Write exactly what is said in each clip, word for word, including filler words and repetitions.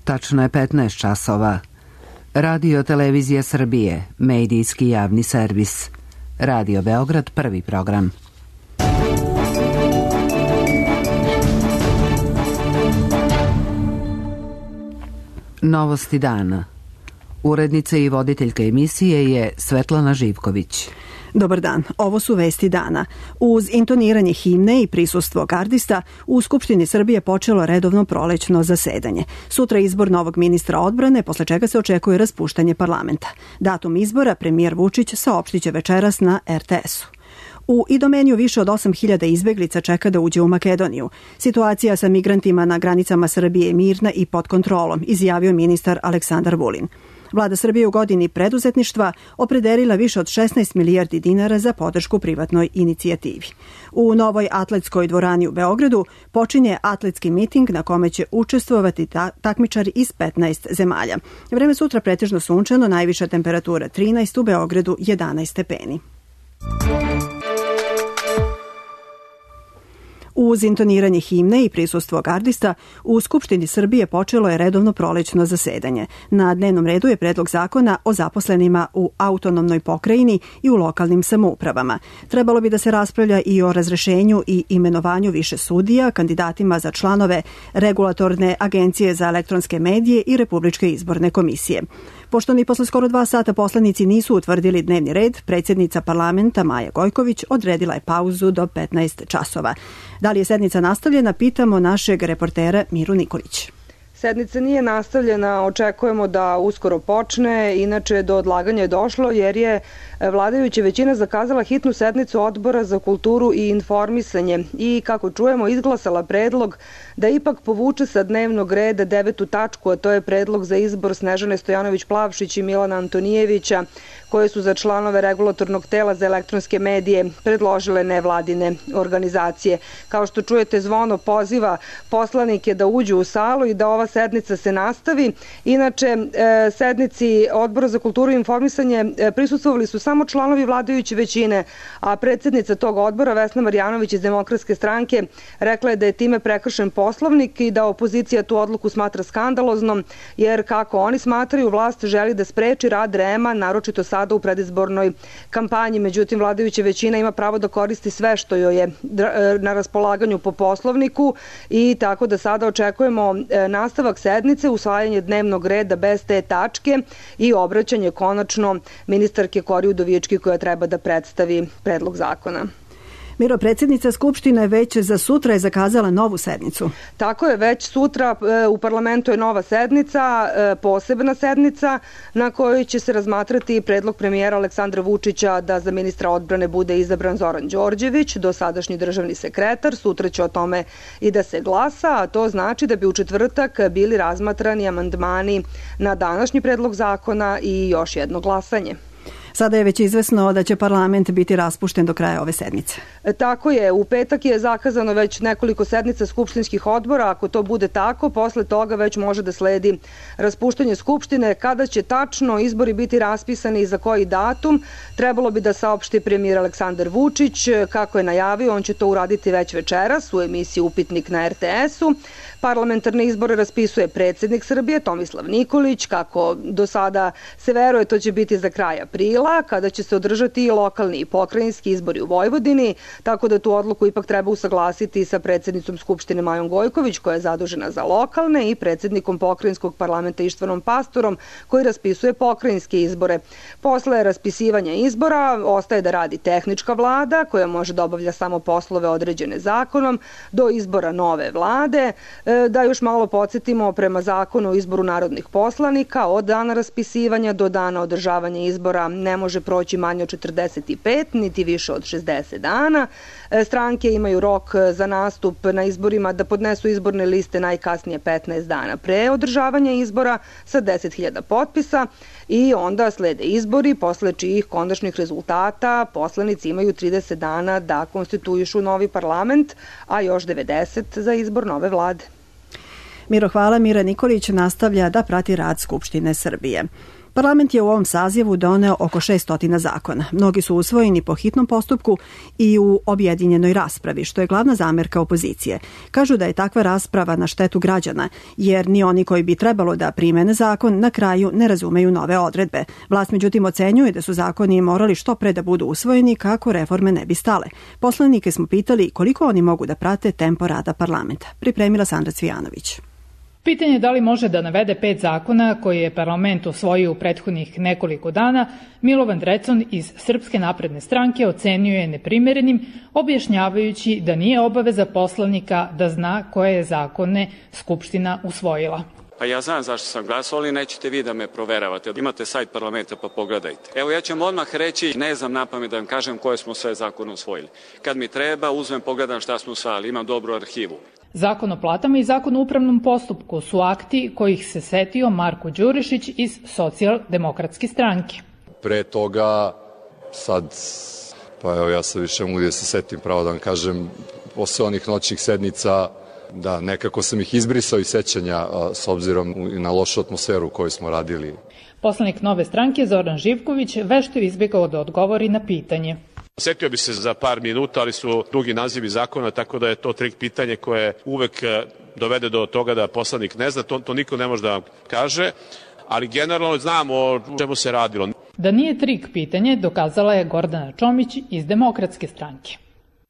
Tačno je petnaest časova. Radio Televizija Srbije, medijski javni servis. Radio Beograd, prvi program. Novosti dana. Urednica i voditeljka emisije je Svetlana Živković. Dobar dan, ovo su vesti dana. Uz intoniranje himne i prisustvo gardista, u Skupštini Srbije počelo redovno prolećno zasedanje. Sutra izbor novog ministra odbrane, posle čega se očekuje raspuštanje parlamenta. Datum izbora premijer Vučić saopštiće večeras na er te esu. U Idomeniju više od osam hiljada izbeglica čeka da uđe u Makedoniju. Situacija sa migrantima na granicama Srbije je mirna i pod kontrolom, izjavio ministar Aleksandar Vulin. Vlada Srbije u godini preduzetništva opredelila više od šesnaest milijardi dinara za podršku privatnoj inicijativi. U novoj atletskoj dvorani u Beogradu počinje atletski miting na kome će učestvovati ta- takmičari iz petnaest zemalja. Vreme sutra pretežno sunčano, najviša temperatura trinaest, u Beogradu jedanaest stepeni. Uz intoniranje himne i prisustvo gardista, u Skupštini Srbije počelo je redovno prolećno zasedanje. Na dnevnom redu je predlog zakona o zaposlenima u autonomnoj pokrajini i u lokalnim samoupravama. Trebalo bi da se raspravlja i o razrešenju i imenovanju više sudija, kandidatima za članove Regulatorne agencije za elektronske medije i Republičke izborne komisije. Pošto ni posle skoro dva sata poslanici nisu utvrdili dnevni red, predsjednica parlamenta Maja Gojković odredila je pauzu do petnaest časova. Da li je sednica nastavljena, pitamo našeg reportera Miru Nikolić. Sednica nije nastavljena, očekujemo da uskoro počne, inače do odlaganja je došlo jer je vladajuća većina zakazala hitnu sednicu Odbora za kulturu i informisanje i, kako čujemo, izglasala predlog da ipak povuče sa dnevnog reda devetu tačku, a to je predlog za izbor Snežane Stojanović-Plavšić i Milana Antonijevića, koje su za članove Regulatornog tela za elektronske medije predložile nevladine organizacije. Kao što čujete, zvono poziva poslanike da uđu u salu i da ova sednica se nastavi. Inače, sednici Odbora za kulturu i informisanje prisustvovali su samo članovi vladajuće većine, a predsjednica tog odbora, Vesna Marjanović iz Demokratske stranke, rekla je da je time prekršen Poslovnik i da opozicija tu odluku smatra skandaloznom, jer, kako oni smatraju, vlast želi da spreči rad R E M-a, naročito sada u predizbornoj kampanji. Međutim, vladajuća većina ima pravo da koristi sve što joj je na raspolaganju po Poslovniku i tako da sada očekujemo nastavak sednice, usvajanje dnevnog reda bez te tačke i obraćanje konačno ministarke Kori Udovički koja treba da predstavi predlog zakona. Miro, predsjednica Skupštine već za sutra je zakazala novu sednicu. Tako je, već sutra u parlamentu je nova sednica, posebna sednica na kojoj će se razmatrati predlog premijera Aleksandra Vučića da za ministra odbrane bude izabran Zoran Đorđević, dosadašnji državni sekretar. Sutra će o tome i da se glasa, a to znači da bi u četvrtak bili razmatrani amandmani na današnji predlog zakona i još jedno glasanje. Sada je već izvesno da će parlament biti raspušten do kraja ove sedmice. E, tako je, u petak je zakazano već nekoliko sednica skupštinskih odbora. Ako to bude tako, posle toga već može da sledi raspuštanje Skupštine. Kada će tačno izbori biti raspisani i za koji datum, trebalo bi da saopšti premijer Aleksandar Vučić. Kako je najavio, on će to uraditi već večeras u emisiji Upitnik na er te esu. Parlamentarne izbore raspisuje predsjednik Srbije Tomislav Nikolić. Kako do sada se veruje, to će biti za kraj aprila, kada će se održati i lokalni i pokrajinski izbori u Vojvodini, tako da tu odluku ipak treba usaglasiti sa predsjednicom Skupštine Majom Gojković, koja je zadužena za lokalne, i predsjednikom pokrajinskog parlamenta Ištvanom Pastorom, koji raspisuje pokrajinske izbore. Posle raspisivanja izbora ostaje da radi tehnička vlada, koja može da obavlja samo poslove određene zakonom, do izbora nove vlade. Da još malo podsjetimo, prema zakonu o izboru narodnih poslanika, od dana raspisivanja do dana održavanja izbora ne može proći manje od četrdeset pet, niti više od šezdeset dana. Stranke imaju rok za nastup na izborima da podnesu izborne liste najkasnije petnaest dana pre održavanja izbora sa deset hiljada potpisa i onda slede izbori, posle čijih konačnih rezultata poslanici imaju trideset dana da konstituišu novi parlament, a još devedeset za izbor nove vlade. Miro, hvala. Mira Nikolić nastavlja da prati rad Skupštine Srbije. Parlament je u ovom sazivu doneo oko šeststotina zakona. Mnogi su usvojeni po hitnom postupku i u objedinjenoj raspravi, što je glavna zamerka opozicije. Kažu da je takva rasprava na štetu građana, jer ni oni koji bi trebalo da primene zakon na kraju ne razumeju nove odredbe. Vlast međutim ocenjuje da su zakoni morali što pre da budu usvojeni kako reforme ne bi stale. Poslanike smo pitali koliko oni mogu da prate tempo rada parlamenta. Pripremila Sandra Cvijanović. Pitanje je da li može da navede pet zakona koje je parlament usvojio u prethodnih nekoliko dana, Milovan Drecun iz Srpske napredne stranke ocenio je neprimerenim, objašnjavajući da nije obaveza poslanika da zna koje je zakone Skupština usvojila. Pa ja znam zašto sam glasao, ali nećete vi da me proveravate. Imate sajt parlamenta pa pogledajte. Evo ja ću vam odmah reći, ne znam napamet da vam kažem koje smo sve zakone usvojili. Kad mi treba, uzmem, pogledam šta smo usvajali, imam dobru arhivu. Zakon o platama i zakon o upravnom postupku su akti kojih se setio Marko Đurišić iz Socijaldemokratske stranke. Pre toga, sad, pa evo ja se više mogu da se setim, pravo da vam kažem, posle onih noćnih sednica, da nekako sam ih izbrisao iz sećanja s obzirom na lošu atmosferu koju smo radili. Poslanik Nove stranke Zoran Živković vešto je izbjegao da odgovori na pitanje. Setio bi se za par minuta, ali su dugi nazivi zakona, tako da je to trik pitanje koje uvek dovede do toga da poslanik ne zna, to, to niko ne može da vam kaže, ali generalno znamo o čemu se radilo. Da nije trik pitanje dokazala je Gordana Čomić iz Demokratske stranke.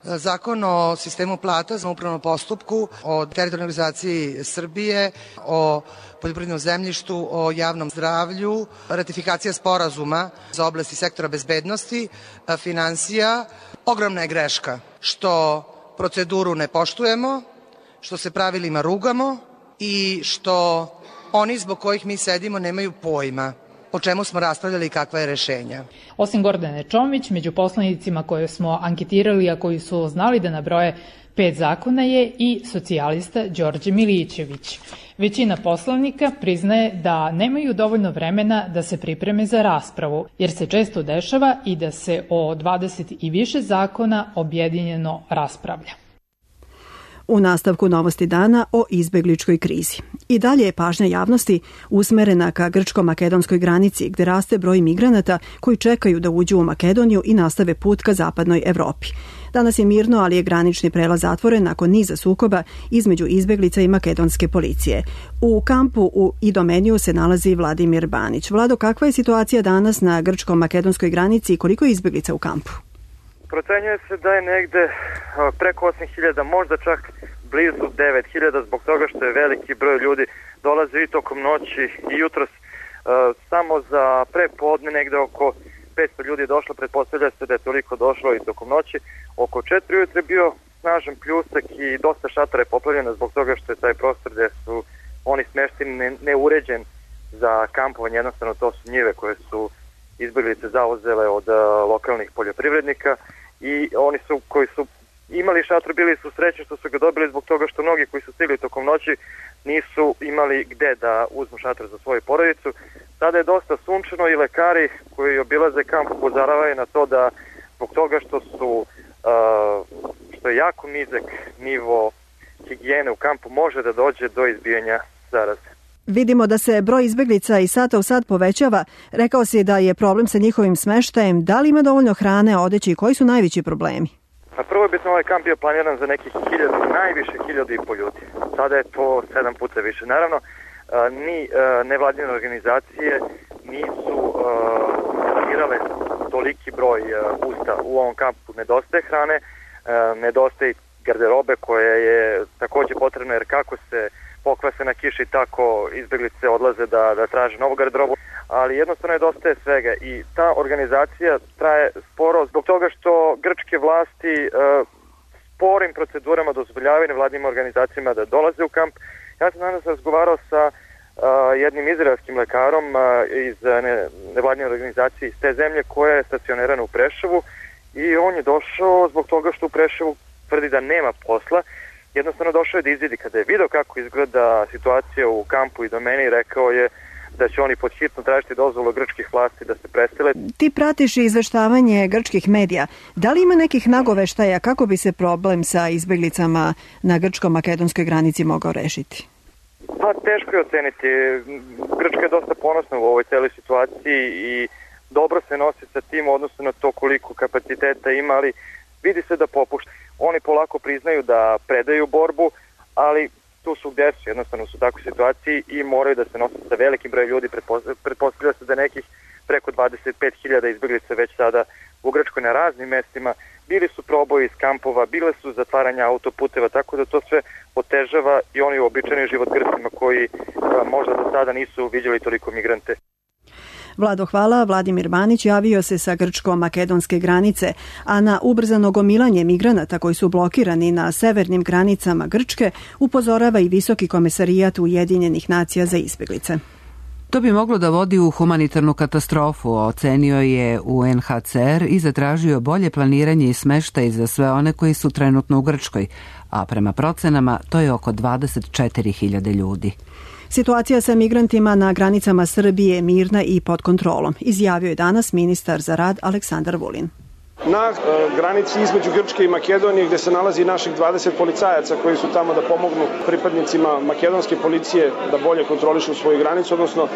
Zakon o sistemu plata za upravnom postupku, o teritorijalnoj organizaciji Srbije, o poljoprivrednom zemljištu, o javnom zdravlju, ratifikacija sporazuma za oblasti sektora bezbednosti, finansija. Ogromna je greška što proceduru ne poštujemo, što se pravilima rugamo i što oni zbog kojih mi sedimo nemaju pojma o čemu smo raspravljali i kakva je rešenja. Osim Gordane Čomić, među poslanicima koje smo anketirali, a koji su znali da nabroje pet zakona, je i socijalista Đorđe Milićević. Većina poslanika priznaje da nemaju dovoljno vremena da se pripreme za raspravu, jer se često dešava i da se o dvadeset i više zakona objedinjeno raspravlja. U nastavku novosti dana o izbegličkoj krizi. I dalje je pažnja javnosti usmerena ka grčko-makedonskoj granici, gde raste broj migranata koji čekaju da uđu u Makedoniju i nastave put ka zapadnoj Evropi. Danas je mirno, ali je granični prelaz zatvoren nakon niza sukoba između izbeglica i makedonske policije. U kampu u Idomeniju se nalazi Vladimir Banić. Vlado, kakva je situacija danas na grčko-makedonskoj granici i koliko je izbeglica u kampu? Procenjuje se da je negde preko osam hiljada, možda čak blizu devet hiljada, zbog toga što je veliki broj ljudi dolaze i tokom noći i jutros. Samo za prepodne negde oko petsto ljudi je došlo, pretpostavlja se da je toliko došlo i tokom noći. Oko četiri ujutro je bio snažan pljusak i dosta šatora je poplavljeno zbog toga što je taj prostor gde su oni smešteni neuređen za kampovanje, jednostavno to su njive koje su izbeglice zauzele od lokalnih poljoprivrednika i oni su koji su imali šator bili su srećni što su ga dobili zbog toga što mnogi koji su stigli tokom noći nisu imali gde da uzmu šator za svoju porodicu. Sada je dosta sunčano i lekari koji obilaze kamp upozoravaju na to da zbog toga što su uh, što je jako nizak nivo higijene u kampu može da dođe do izbijanja zaraze. Vidimo da se broj izbeglica iz sata u sat povećava. Rekao si da je problem sa njihovim smeštajem. Da li ima dovoljno hrane, odeće i koji su najveći problemi? A prvo je bitno ovaj kamp bio planiran za nekih hiljadu, najviše hiljadu i po ljudi. Sada je to sedam puta više. Naravno, ni nevladine organizacije nisu planirale toliki broj usta u ovom kampu. Nedostaje hrane, nedostaje garderobe koja je takođe potrebna, jer kako se pokvase na kiši, tako izbeglice odlaze da, da traže novu garderobu, ali jednostavno nedostaje svega i ta organizacija traje sporo zbog toga što grčke vlasti e, sporim procedurama dozvoljavaju nevladnim organizacijama da dolaze u kamp. Ja sam danas razgovarao sa e, jednim izraelskim lekarom e, iz ne, nevladne organizacije iz te zemlje koja je stacionirana u Preševu i on je došao zbog toga što u Preševu tvrdi da nema posla. Jednostavno došao je da izvidi. Kada je video kako izgleda situacija u kampu i domeni, rekao je da će oni pod hitno tražiti dozvolu grčkih vlasti da se presele. Ti pratiš izveštavanje grčkih medija. Da li ima nekih nagoveštaja kako bi se problem sa izbeglicama na grčko-makedonskoj granici mogao rešiti? Pa teško je oceniti. Grčka je dosta ponosna u ovoj celoj situaciji i dobro se nosi sa tim odnosno na to koliko kapaciteta ima, ali vidi se da popušta. Oni polako priznaju da predaju borbu, ali tu su gde su, jednostavno su u takvoj situaciji i moraju da se nose sa velikim brojem ljudi. Pretpostavlja se da nekih preko dvadeset pet hiljada izbeglica već sada u Grčkoj na raznim mestima. Bili su proboji iz kampova, bile su zatvaranja autoputeva, tako da to sve otežava i oni uobičajeni život Grcima koji a, možda do sada nisu vidjeli toliko migrante. Vlado, hvala. Vladimir Manić javio se sa grčko-makedonske granice, a na ubrzano gomilanje migranata koji su blokirani na severnim granicama Grčke upozorava i Visoki komesarijat Ujedinjenih nacija za izbeglice. To bi moglo da vodi u humanitarnu katastrofu, ocenio je U N H C R i zatražio bolje planiranje i smeštaj za sve one koji su trenutno u Grčkoj, a prema procenama to je oko dvadeset četiri hiljade ljudi. Situacija sa migrantima na granicama Srbije je mirna i pod kontrolom, izjavio je danas ministar za rad Aleksandar Vulin. Na e, granici između Grčke i Makedonije gde se nalazi naših dvadeset policajaca koji su tamo da pomognu pripadnicima makedonske policije da bolje kontrolišu svoju granicu, odnosno e,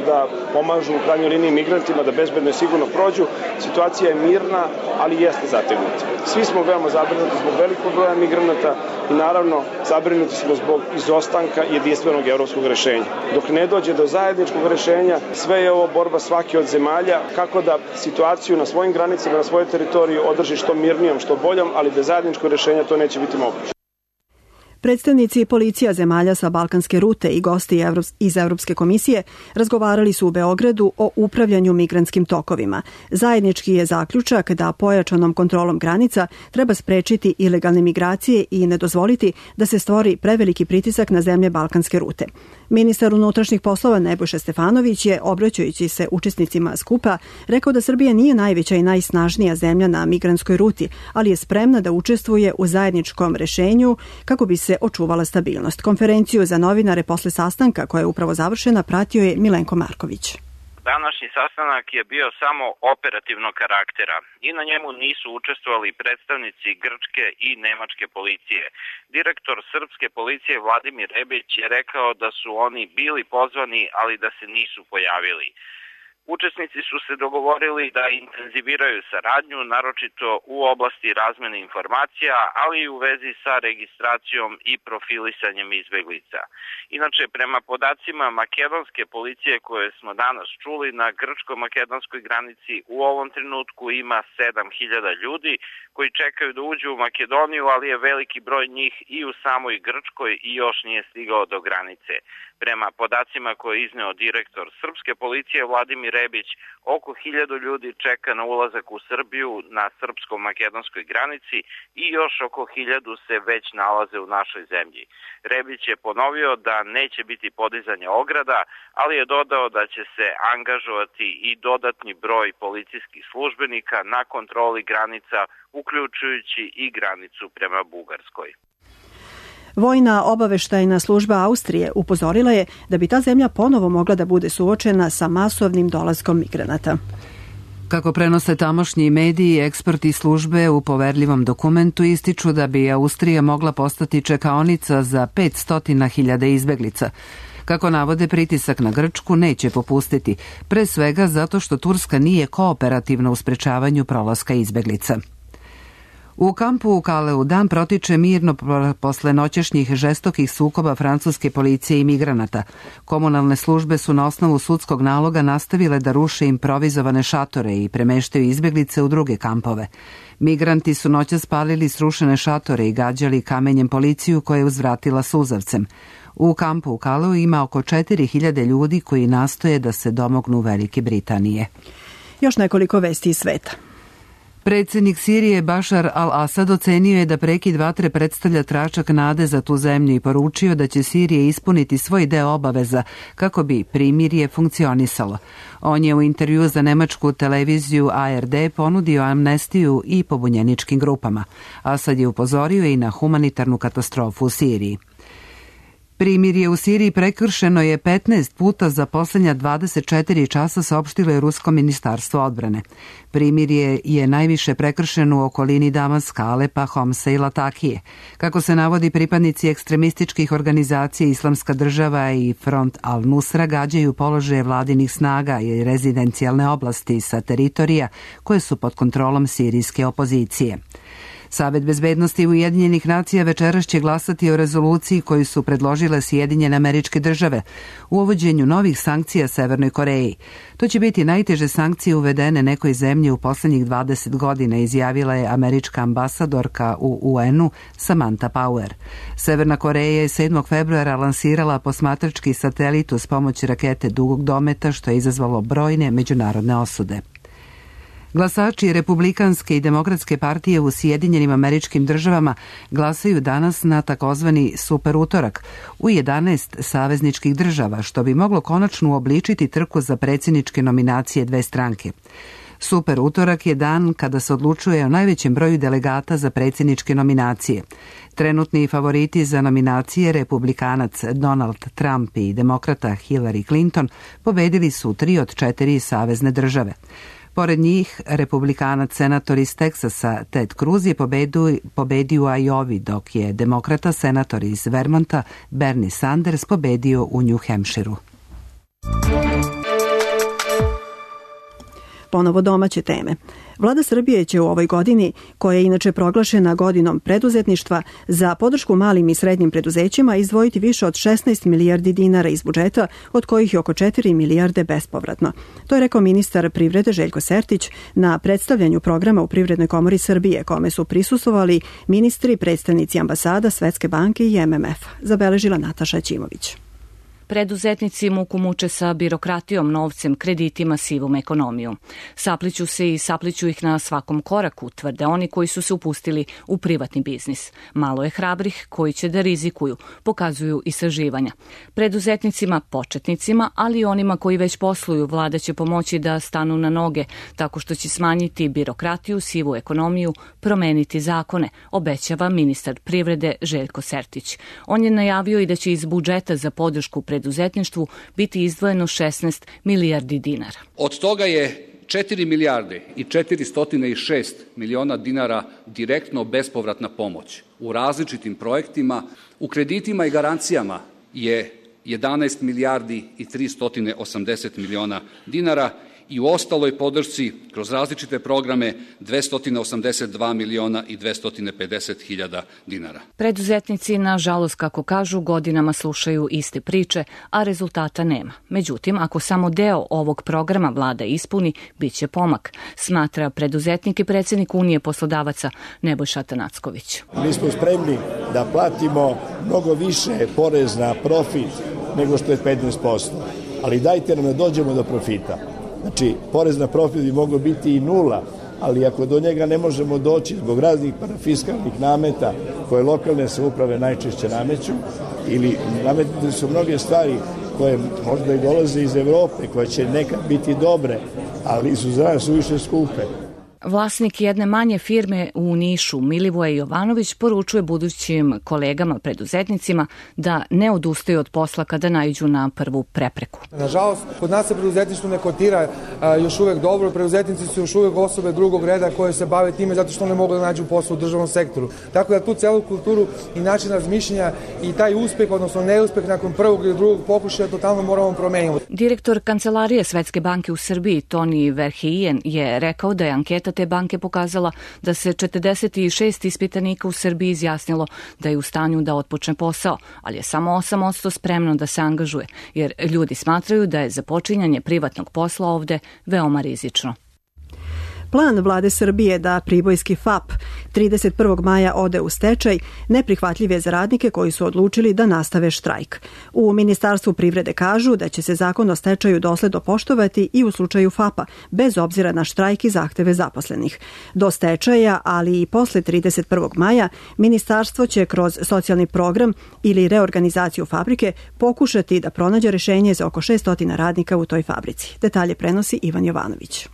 da pomažu u krajnjoj liniji migrantima da bezbedno i sigurno prođu. Situacija je mirna, ali jeste zategnuta. Svi smo veoma zabrinuti zbog velikog broja migranata i naravno zabrinuti smo zbog izostanka jedinstvenog evropskog rešenja. Dok ne dođe do zajedničkog rešenja, sve je ovo borba svake od zemalja kako da situaciju na svojim granicama, na svojoj teritoriji održi što mirnijom, što boljom, ali bez zajedničkog rešenja to neće biti moguće. Predstavnici policija zemalja sa balkanske rute i gosti iz Evropske komisije razgovarali su u Beogradu o upravljanju migrantskim tokovima. Zajednički je zaključak da pojačanom kontrolom granica treba sprečiti ilegalne migracije i ne dozvoliti da se stvori preveliki pritisak na zemlje balkanske rute. Ministar unutrašnjih poslova Nebojša Stefanović je, obraćajući se učesnicima skupa, rekao da Srbija nije najveća i najsnažnija zemlja na migrantskoj ruti, ali je spremna da učestvuje u zajedničkom rešenju kako bi se očuvala stabilnost. Konferenciju za novinare posle sastanka koja je upravo završena pratio je Milenko Marković. Današnji sastanak je bio samo operativnog karaktera i na njemu nisu učestvovali predstavnici grčke i nemačke policije. Direktor srpske policije Vladimir Rebić je rekao da su oni bili pozvani, ali da se nisu pojavili. Učesnici su se dogovorili da intenziviraju saradnju, naročito u oblasti razmene informacija, ali i u vezi sa registracijom i profilisanjem izbeglica. Inače, prema podacima makedonske policije koje smo danas čuli, na grčko-makedonskoj granici u ovom trenutku ima sedam hiljada ljudi koji čekaju da uđu u Makedoniju, ali je veliki broj njih i u samoj Grčkoj i još nije stigao do granice. Prema podacima koje je izneo direktor srpske policije Vladimir Rebić, oko hiljadu ljudi čeka na ulazak u Srbiju na srpsko-makedonskoj granici i još oko hiljadu se već nalaze u našoj zemlji. Rebić je ponovio da neće biti podizanja ograda, ali je dodao da će se angažovati i dodatni broj policijskih službenika na kontroli granica, uključujući i granicu prema Bugarskoj. Vojna obaveštajna služba Austrije upozorila je da bi ta zemlja ponovo mogla da bude suočena sa masovnim dolaskom migranata. Kako prenose tamošnji mediji, eksperti službe u poverljivom dokumentu ističu da bi Austrija mogla postati čekaonica za petsto hiljada izbeglica. Kako navode, pritisak na Grčku neće popustiti, pre svega zato što Turska nije kooperativna u sprečavanju prolaska izbeglica. U kampu u Kaleu dan protiče mirno posle noćešnjih žestokih sukoba francuske policije i migranata. Komunalne službe su na osnovu sudskog naloga nastavile da ruše improvizovane šatore i premeštaju izbeglice u druge kampove. Migranti su noćas spalili srušene šatore i gađali kamenjem policiju koja je uzvratila suzavcem. U kampu u Kaleu ima oko četiri hiljade ljudi koji nastoje da se domognu Velike Britanije. Još nekoliko vesti iz sveta. Predsjednik Sirije Bašar al-Asad ocenio je da prekid vatre predstavlja tračak nade za tu zemlju i poručio da će Sirija ispuniti svoj deo obaveza kako bi primirje funkcionisalo. On je u intervju za nemačku televiziju A R D ponudio amnestiju i pobunjeničkim grupama. Asad je upozorio i na humanitarnu katastrofu u Siriji. Primirje u Siriji prekršeno je petnaest puta za poslednja dvadeset četiri časa, saopštilo je Rusko ministarstvo odbrane. Primirje je najviše prekršeno u okolini Damaska, Alepa, Homsa i Latakije. Kako se navodi, pripadnici ekstremističkih organizacija Islamska država i Front al-Nusra gađaju položaje vladinih snaga i rezidencijalne oblasti sa teritorija koje su pod kontrolom sirijske opozicije. Savet bezbednosti Ujedinjenih nacija večeras će glasati o rezoluciji koju su predložile Sjedinjene Američke Države u uvođenju novih sankcija Severnoj Koreji. To će biti najteže sankcije uvedene nekoj zemlji u poslednjih dvadeset godina, izjavila je američka ambasadorka u U N-u Samantha Power. Severna Koreja je sedmog februara lansirala posmatrački satelit uz pomoć rakete dugog dometa, što je izazvalo brojne međunarodne osude. Glasači Republikanske i Demokratske partije u Sjedinjenim Američkim Državama glasaju danas na takozvani super utorak u jedanaest savezničkih država, što bi moglo konačno uobličiti trku za predsjedničke nominacije dve stranke. Super utorak je dan kada se odlučuje o najvećem broju delegata za predsjedničke nominacije. Trenutni favoriti za nominacije, republikanac Donald Trump i demokrata Hillary Clinton, pobedili su tri od četiri savezne države. Pored njih, republikanac senator iz Teksasa Ted Cruz je pobedu, pobedio u Ajovi, dok je demokrata senator iz Vermonta Bernie Sanders pobedio u New Hampshireu. Ponovo domaće teme. Vlada Srbije će u ovoj godini, koja je inače proglašena godinom preduzetništva, za podršku malim i srednjim preduzećima izdvojiti više od šesnaest milijardi dinara iz budžeta, od kojih je oko četiri milijarde bespovratno. To je rekao ministar privrede Željko Sertić na predstavljanju programa u Privrednoj komori Srbije, kome su prisustvovali ministri, predstavnici ambasada, Svetske banke i M M F. Zabeležila Nataša Ćimović. Preduzetnici muku muče sa birokratijom, novcem, kreditima, sivom ekonomijom. Sapliću se i sapliću ih na svakom koraku, tvrde oni koji su se upustili u privatni biznis. Malo je hrabrih koji će da rizikuju, pokazuju istraživanja. Preduzetnicima, početnicima, ali i onima koji već posluju, vlada će pomoći da stanu na noge, tako što će smanjiti birokratiju, sivu ekonomiju, promeniti zakone, obećava ministar privrede Željko Sertić. On je najavio i da će iz budžeta za podršku preduzetništvu biti izdvojeno šesnaest milijardi dinara. Od toga je četiri milijarde i četiristo šest miliona dinara direktno bespovratna pomoć u različitim projektima. U kreditima i garancijama je jedanaest milijardi i tristo osamdeset miliona dinara i u ostaloj podršci kroz različite programe dvesta osamdeset dva miliona i dvesta pedeset hiljada dinara. Preduzetnici, nažalost, kako kažu, godinama slušaju iste priče, a rezultata nema. Međutim, ako samo deo ovog programa vlada ispuni, bit će pomak, smatra preduzetnik i predsjednik Unije poslodavaca Nebojša Tanacković. Mi smo spremni da platimo mnogo više porez na profit nego što je petnaest posto, ali dajte nam da dođemo do profita. Znači, porez na profit bi moglo biti i nula, ali ako do njega ne možemo doći zbog raznih parafiskalnih nameta koje lokalne samouprave najčešće nameću, ili nametne su mnoge stvari koje možda i dolaze iz Evrope, koje će nekad biti dobre, ali su za nas suviše skupe. Vlasnik jedne manje firme u Nišu, Milivoje Jovanović, poručuje budućim kolegama preduzetnicima da ne odustaju od posla kada naiđu na prvu prepreku. Nažalost, kod nas se preduzetništvo ne kotira a, još uvek dobro. Preduzetnici su još uvek osobe drugog reda koje se bave time zato što ne mogu da nađu posao u državnom sektoru. Tako da tu celu kulturu i način razmišljanja i taj uspeh, odnosno neuspeh nakon prvog ili drugog pokušaja totalno moramo promeniti. Direktor Kancelarije Svetske banke u Srbiji, Toni Verheijen, je rekao da je anketa te banke pokazala da se četrdeset šest ispitanika u Srbiji izjasnilo da je u stanju da otpočne posao, ali je samo osam posto spremno da se angažuje, jer ljudi smatraju da je započinjanje privatnog posla ovde veoma rizično. Plan vlade Srbije da pribojski F A P trideset prvog maja ode u stečaj neprihvatljiv je za radnike koji su odlučili da nastave štrajk. U Ministarstvu privrede kažu da će se zakon o stečaju dosledno poštovati i u slučaju F A P-a, bez obzira na štrajk i zahteve zaposlenih. Do stečaja, ali i posle trideset prvog maja, Ministarstvo će kroz socijalni program ili reorganizaciju fabrike pokušati da pronađe rešenje za oko šessto radnika u toj fabrici. Detalje prenosi Ivan Jovanović.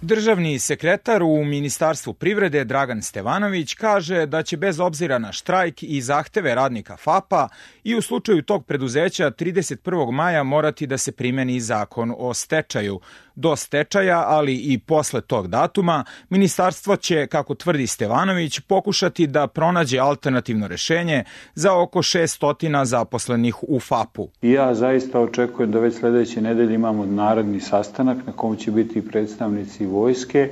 Državni sekretar u Ministarstvu privrede Dragan Stevanović kaže da će bez obzira na štrajk i zahteve radnika FAP-a i u slučaju tog preduzeća trideset prvog maja morati da se primeni zakon o stečaju. Do stečaja, ali i posle tog datuma, ministarstvo će, kako tvrdi Stevanović, pokušati da pronađe alternativno rešenje za oko šessto zaposlenih u FAP-u. Ja zaista očekujem da već sledeće nedelje imamo narodni sastanak na kom će biti predstavnici vojske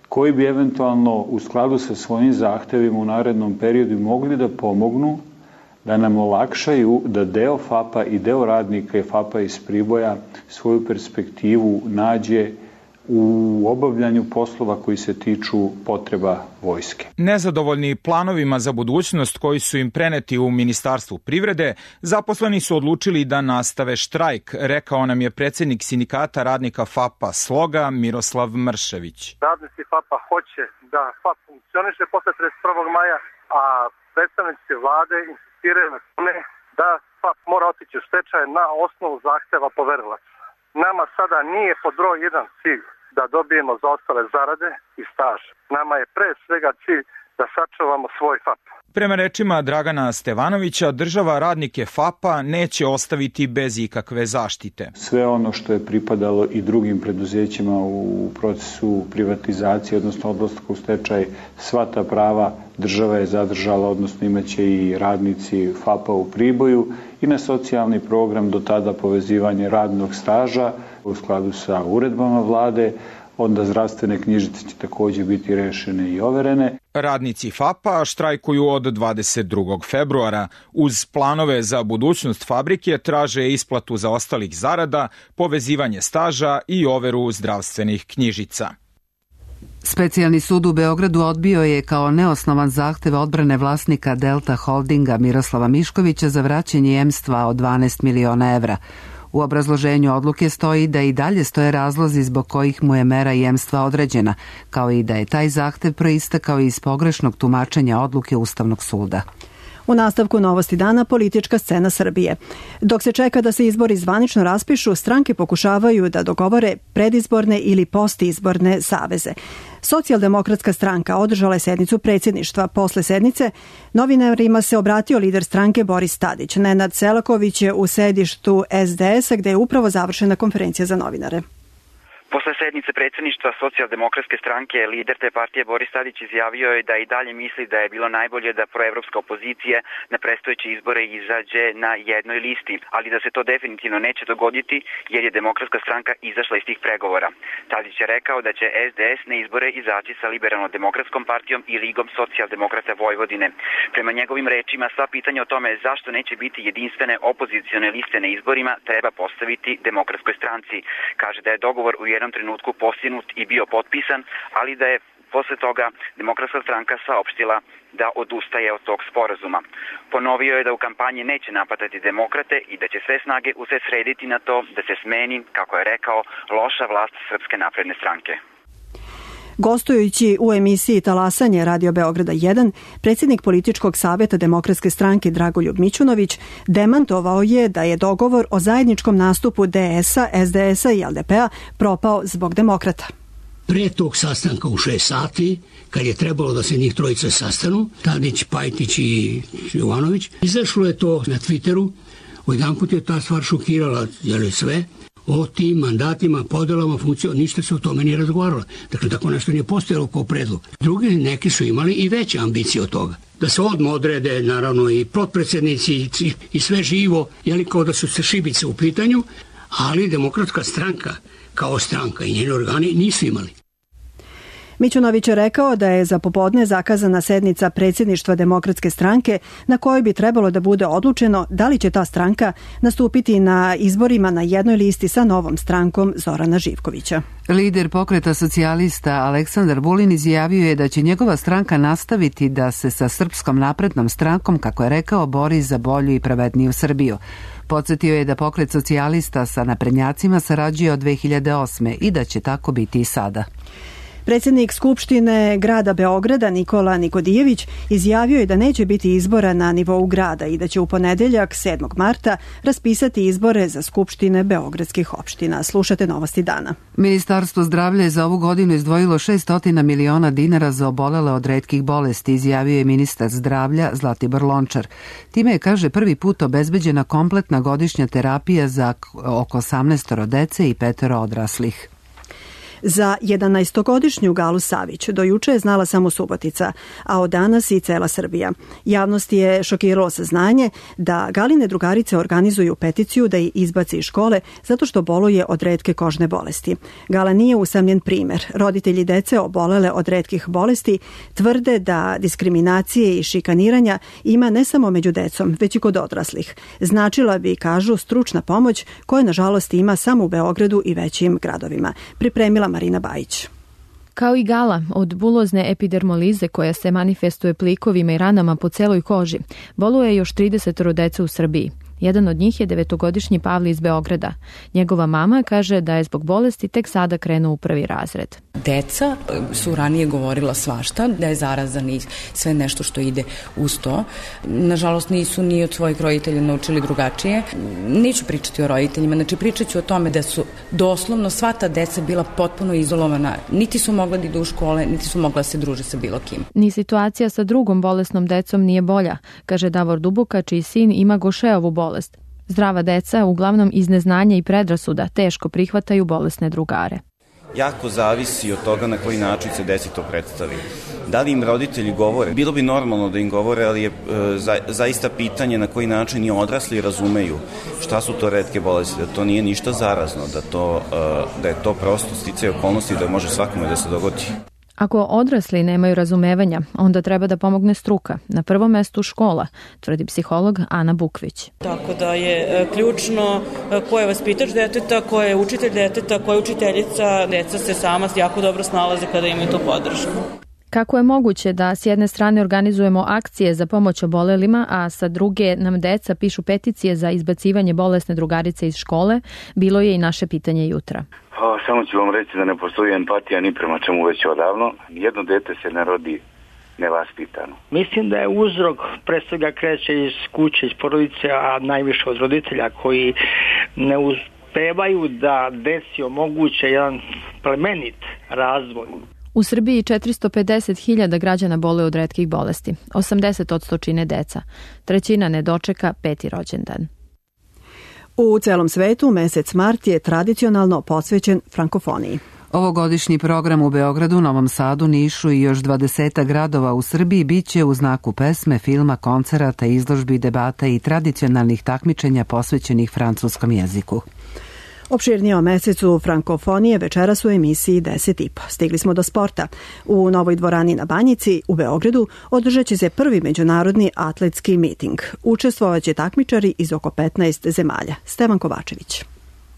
koji bi eventualno u skladu sa svojim zahtevima u narednom periodu mogli da pomognu da nam olakšaju da deo FAP-a i deo radnika i FAP-a iz Priboja svoju perspektivu nađe u obavljanju poslova koji se tiču potreba vojske. Nezadovoljni planovima za budućnost koji su im preneti u Ministarstvu privrede, zaposleni su odlučili da nastave štrajk, rekao nam je predsjednik sindikata radnika FAP-a Sloga Miroslav Mršević. Radnici FAP-a hoće da FAP funkcioniše posle trideset prvog maja, a predstavnici vlade insistiraju na tome da FAP mora otići u stečaj na osnovu zahteva poverilaca. Nama sada nije pod broj jedan cilj da dobijemo zaostale zarade i staž. Nama je pre svega cilj da sačuvamo svoj FAP. Prema rečima Dragana Stevanovića, država radnike FAP-a neće ostaviti bez ikakve zaštite. Sve ono što je pripadalo i drugim preduzećima u procesu privatizacije, odnosno odlaska u stečaj, sva ta prava država je zadržala, odnosno imaće i radnici FAP-a u Priboju i na socijalni program do tada povezivanje radnog staža u skladu sa uredbama vlade. Onda zdravstvene knjižice će takođe biti rešene i overene. Radnici FAP-a štrajkuju od dvadeset drugog februara. Uz planove za budućnost fabrike traže isplatu zaostalih zarada, povezivanje staža i overu zdravstvenih knjižica. Specijalni sud u Beogradu odbio je kao neosnovan zahtev odbrane vlasnika Delta Holdinga Miroslava Miškovića za vraćanje jemstva od dvanaest miliona evra. U obrazloženju odluke stoji da i dalje stoje razlozi zbog kojih mu je mera jemstva određena, kao i da je taj zahtev proistekao iz pogrešnog tumačenja odluke Ustavnog suda. U nastavku Novosti dana politička scena Srbije. Dok se čeka da se izbori zvanično raspišu, stranke pokušavaju da dogovore predizborne ili postizborne saveze. Socijaldemokratska stranka održala je sednicu predsjedništva. Posle sednice novinarima se obratio lider stranke Boris Tadić. Nenad Selaković je u sedištu es de es a gde je upravo završena konferencija za novinare. Posle sednice predsjedništva Socijaldemokratske stranke, lider te partije Boris Tadić izjavio je da i dalje misli da je bilo najbolje da proevropska opozicija na predstojeće izbore izađe na jednoj listi, ali da se to definitivno neće dogoditi jer je Demokratska stranka izašla iz tih pregovora. Tadić je rekao da će es de es na izbore izaći sa Liberalno-demokratskom partijom i Ligom socijaldemokrata Vojvodine. Prema njegovim rečima, sva pitanja o tome zašto neće biti jedinstvene opozicione liste na izborima treba postaviti Demokratskoj stranci. Kaže da je dogovor u jednom trenutku postignut i bio potpisan, ali da je posle toga Demokratska stranka saopštila da odustaje od tog sporazuma. Ponovio je da u kampanji neće napadati demokrate i da će sve snage usredsrediti na to da se smeni, kako je rekao, loša vlast Srpske napredne stranke. Gostujući u emisiji Talasanje Radio Beograda jedan, predsjednik političkog savjeta Demokratske stranke Dragoljub Mićunović demantovao je da je dogovor o zajedničkom nastupu de es a, es de es a i el de pe a propao zbog demokrata. Pre tog sastanka u šest sati, kad je trebalo da se njih trojica sastanu, Tadić, Pajtić i Jovanović, izašlo je to na Twitteru, odjedanput je ta stvar šokirala jeli, sve, o tim mandatima, podelama, funkcijama, ništa se o tome nije razgovaralo. Dakle, tako nešto nije postojalo kao predlog. Drugi neki su imali i veće ambicije od toga. Da se odmah odrede, naravno, i potpredsjednici i, i sve živo, jeli kao da su se šibice u pitanju, ali Demokratska stranka kao stranka i njeni organi nisu imali. Mićunović je rekao da je za popodne zakazana sednica predsjedništva Demokratske stranke na kojoj bi trebalo da bude odlučeno da li će ta stranka nastupiti na izborima na jednoj listi sa novom strankom Zorana Živkovića. Lider pokreta socijalista Aleksandar Vulin izjavio je da će njegova stranka nastaviti da se sa Srpskom naprednom strankom, kako je rekao, bori za bolju i pravedniju Srbiju. Podsjetio je da pokret socijalista sa naprednjacima sarađuje od dve hiljade osme i da će tako biti i sada. Predsjednik Skupštine grada Beograda Nikola Nikodijević izjavio je da neće biti izbora na nivou grada i da će u ponedeljak sedmog marta raspisati izbore za skupštine beogradskih opština. Slušate Novosti dana. Ministarstvo zdravlja je za ovu godinu izdvojilo šessto miliona dinara za obolele od retkih bolesti, izjavio je ministar zdravlja Zlatibor Lončar. Time je, kaže, prvi put obezbeđena kompletna godišnja terapija za oko osamnaest dece i petero odraslih. Za jedanaestogodišnju Galu Savić do juče je znala samo Subotica, a od danas i cela Srbija. Javnost je šokiralo saznanje da Galine drugarice organizuju peticiju da ih izbaci iz škole zato što boluje od retke kožne bolesti. Gala nije usamljen primer. Roditelji dece obolele od retkih bolesti tvrde da diskriminacije i šikaniranja ima ne samo među decom, već i kod odraslih. Značila bi, kažu, stručna pomoć koja nažalost ima samo u Beogradu i većim gradovima. Pripremila Marina Bajić. Kao i Gala, od bulozne epidermolize koja se manifestuje plikovima i ranama po celoj koži, boluje još trideset dece u Srbiji. Jedan od njih je devetogodišnji Pavle iz Beograda. Njegova mama kaže da je zbog bolesti tek sada krenuo u prvi razred. Deca su ranije govorila svašta, da je zarazan i sve nešto što ide uz to. Nažalost, nisu ni od svojih roditelja naučili drugačije. Neću pričati o roditeljima, znači pričat ću o tome da su doslovno sva ta deca bila potpuno izolovana. Niti su mogla da idu u škole, niti su mogla da se druže sa bilo kim. Ni situacija sa drugom bolesnom decom nije bolja, kaže Davor Duboka, čiji sin ima Gošeovu bolest. Zdrava deca, uglavnom iz neznanja i predrasuda, teško prihvataju bolesne drugare. Jako zavisi od toga na koji način se deci to predstavi. Da li im roditelji govore? Bilo bi normalno da im govore, ali je e, za, zaista pitanje na koji način i odrasli razumeju šta su to retke bolesti, da to nije ništa zarazno, da, to, e, da je to prosto sticaj okolnosti da može svakome da se dogodi. Ako odrasli nemaju razumevanja, onda treba da pomogne struka. Na prvom mestu škola, tvrdi psiholog Ana Bukvić. Tako da je ključno ko je vaspitač deteta, ko je učitelj deteta, ko je učiteljica. Deca se sama jako dobro snalaze kada imaju tu podršku. Kako je moguće da s jedne strane organizujemo akcije za pomoć obolelima, a sa druge nam deca pišu peticije za izbacivanje bolesne drugarice iz škole, bilo je i naše pitanje jutra. Pa, samo ću vam reći da ne postoji empatija ni prema čemu već odavno. Jedno dete se ne rodi nevaspitano. Mislim da je uzrok pre svega kreće iz kuće, iz porodice, a najviše od roditelja koji ne uspevaju da deci omoguće jedan plemenit razvoj. U Srbiji četiristo pedeset hiljada građana boluje od retkih bolesti. osamdeset posto čine deca. Trećina ne dočeka peti rođendan. U celom svetu mesec mart je tradicionalno posvećen frankofoniji. Ovogodišnji program u Beogradu, Novom Sadu, Nišu i još dvadesetak gradova u Srbiji biće u znaku pesme, filma, koncerata, izložbi, debata i tradicionalnih takmičenja posvećenih francuskom jeziku. Opširnije o mesecu frankofonije večeras u emisiji deset i po. Stigli smo do sporta. U Novoj dvorani na Banjici u Beogradu održat će se prvi međunarodni atletski miting. Učestvovaće takmičari iz oko petnaest zemalja. Stevan Kovačević.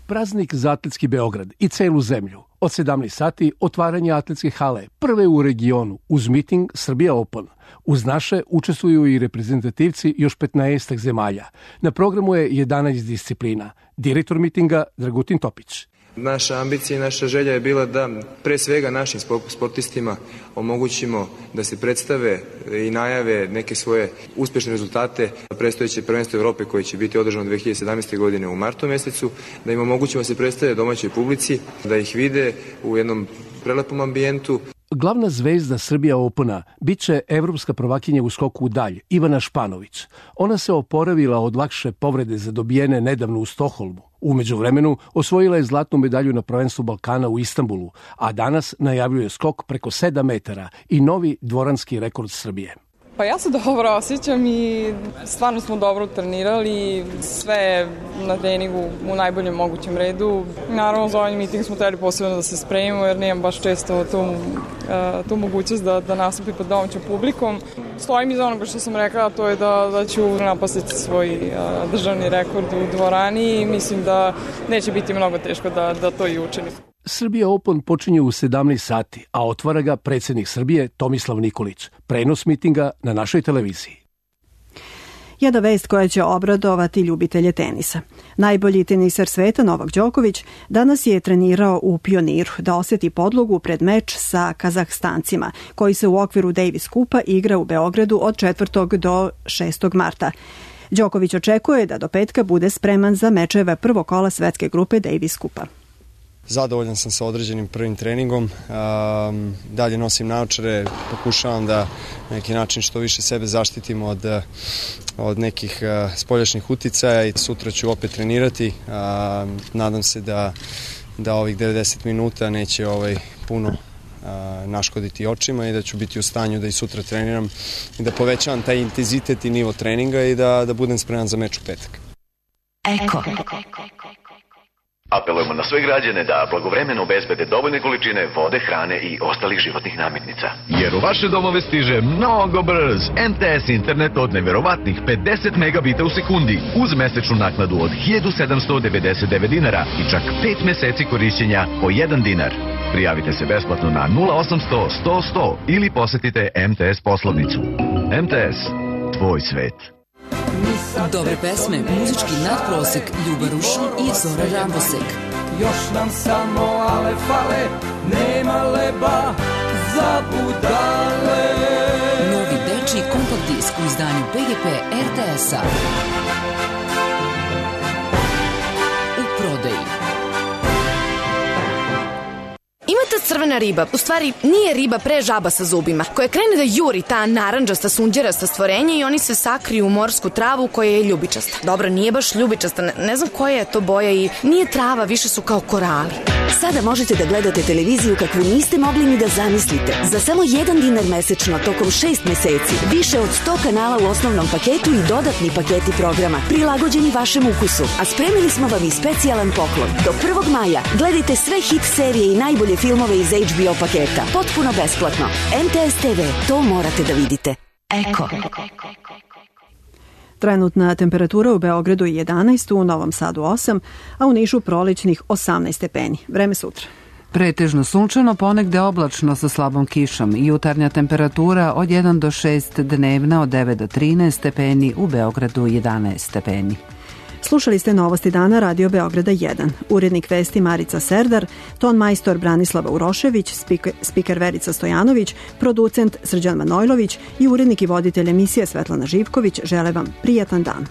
Praznik za atletski Beograd i celu zemlju. Od sedamnaest sati otvaranje atletske hale, prve u regionu, uz miting Srbija Open. Uz naše učestvuju i reprezentativci još petnaest zemalja. Na programu je jedanaest disciplina. Direktor mitinga Dragutin Topić. Naša ambicija i naša želja je bila da pre svega našim sportistima omogućimo da se predstave i najave neke svoje uspešne rezultate predstojeće prvenstvo Evrope koje će biti održano dve hiljade sedamnaeste. godine u martu mesecu, da im omogućimo da se predstave domaćoj publici, da ih vide u jednom prelepom ambijentu. Glavna zvezda Srbija Opena biće evropska prvakinja u skoku u dalj, Ivana Španović. Ona se oporavila od lakše povrede zadobijene nedavno u Stokholmu. U međuvremenu osvojila je zlatnu medalju na prvenstvu Balkana u Istanbulu, a danas najavljuje skok preko sedam metara i novi dvoranski rekord Srbije. Pa ja se dobro osjećam i stvarno smo dobro trenirali, sve na treningu u najboljem mogućem redu. Naravno, za ovaj miting smo trebali posebno da se spremimo jer nemam baš često tu, tu mogućnost da, da nastupim pod domaćom publikom. Stojim iza onoga što sam rekla, to je da, da ću napasiti svoj državni rekord u dvorani i mislim da neće biti mnogo teško da, da to i učinim. Srbija Open počinje u sedamnaest sati, a otvara ga predsjednik Srbije Tomislav Nikolić. Prenos mitinga na našoj televiziji. Jedna vest koja će obradovati ljubitelje tenisa. Najbolji teniser sveta Novak Đoković danas je trenirao u Pioniru da oseti podlogu pred meč sa Kazahstancima, koji se u okviru Davis Kupa igra u Beogradu od četvrtog do šestog marta. Đoković očekuje da do petka bude spreman za mečeve prvog kola svetske grupe Davis Kupa. Zadovoljan sam sa određenim prvim treningom, um, dalje nosim naočare, pokušavam da na neki način što više sebe zaštitim od, od nekih uh, spoljašnjih uticaja i sutra ću opet trenirati. Uh, nadam se da, da ovih devedeset minuta neće ovaj, puno uh, naškoditi očima i da ću biti u stanju da i sutra treniram i da povećavam taj intenzitet i nivo treninga i da, da budem spreman za meč u petak. Eko. Apelujemo na sve građane da blagovremeno obezbede dovoljne količine vode, hrane i ostalih životnih namirnica. Jer u vaše domove stiže mnogo brz M T S internet od neverovatnih pedeset megabita u sekundi uz mesečnu naknadu od hiljadu sedamsto devedeset devet dinara i čak pet meseci korišćenja po jedan dinar. Prijavite se besplatno na nula osamsto sto sto ili posetite M T S poslovnicu. M T S, tvoj svet. Dobre pesme, muzički nadprosek, Ljuba Rušan i Zora Rambosek. Još nam samo ale fale, nema leba za budale. Novi dečiji kompakt disk u izdanju P G P R T S-a. U prodaji. Ima ta crvena riba, u stvari nije riba, pre žaba sa zubima, koja krene da juri ta narandžasta, sunđerasta stvorenja i oni se sakriju u morsku travu koja je ljubičasta. Dobro, nije baš ljubičasta, ne, ne znam koja je to boja i nije trava, više su kao korali. Sada možete da gledate televiziju kakvu niste mogli ni da zamislite. Za samo jedan dinar mesečno tokom šest meseci. Više od sto kanala u osnovnom paketu i dodatni paketi programa, prilagođeni vašem ukusu. A spremili smo vam i specijalan poklon. Do prvog maja gledajte sve hit serije i najbolje filmove iz H B O paketa. Potpuno besplatno. M T S T V, to morate da vidite. Eko. Trenutna temperatura u Beogradu je jedanaest, u Novom Sadu osam, a u Nišu prolećnih osamnaest stepeni. Vreme sutra. Pretežno sunčano, ponegde oblačno sa slabom kišom. Jutarnja temperatura od jedan do šest, dnevna od devet do trinaest stepeni, u Beogradu jedanaest stepeni. Slušali ste Novosti dana Radio Beograda jedan. Urednik vesti Marica Serdar, ton majstor Branislava Urošević, spiker, spiker Verica Stojanović, producent Srđan Manojlović i urednik i voditelj emisije Svetlana Živković žele vam prijatan dan.